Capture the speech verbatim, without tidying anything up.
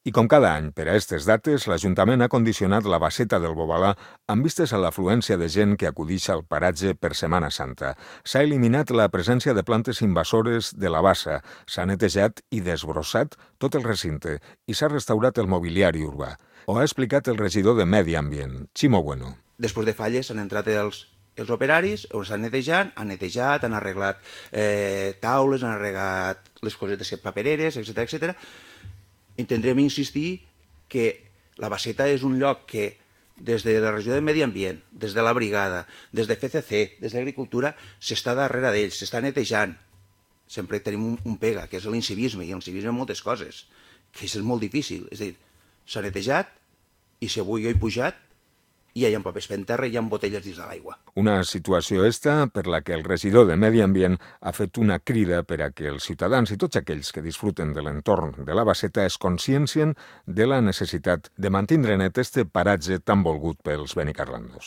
I com cada any, per a aquestes dates, l'Ajuntament ha condicionat la Basseta del Bobalà amb vistes a l'afluència de gent que acudix al paratge per Setmana Santa. S'ha eliminat la presència de plantes invasores de la bassa, s'ha netejat i desbrossat tot el recinte i s'ha restaurat el mobiliari urbà. Ho ha explicat el regidor de Medi Ambient, Ximo Bueno. Després de falles han entrat els, els operaris, estan netejant, han netejat, han arreglat eh, taules, han arreglat les cosetes papereres, etcètera, etcètera. Intendrem insistir que la Basseta és un lloc que des de la regió de Medi Ambient, des de la brigada, des de F C C, des d'Agricultura, s'està darrere d'ells, s'està netejant. Sempre tenim un, un pega, que és l'incivisme, i l'incivisme en moltes coses, que és molt difícil. És a dir, s'ha netejat, i si avui jo he pujat, i hi ha papers fent terra i hi ha botelles dins de l'aigua. Una situació esta per la que el regidor de Medi Ambient ha fet una crida per a que els ciutadans i tots aquells que disfruten de l'entorn de la Basseta es consciencien de la necessitat de mantenir net este paratge tan volgut pels benicarlandos.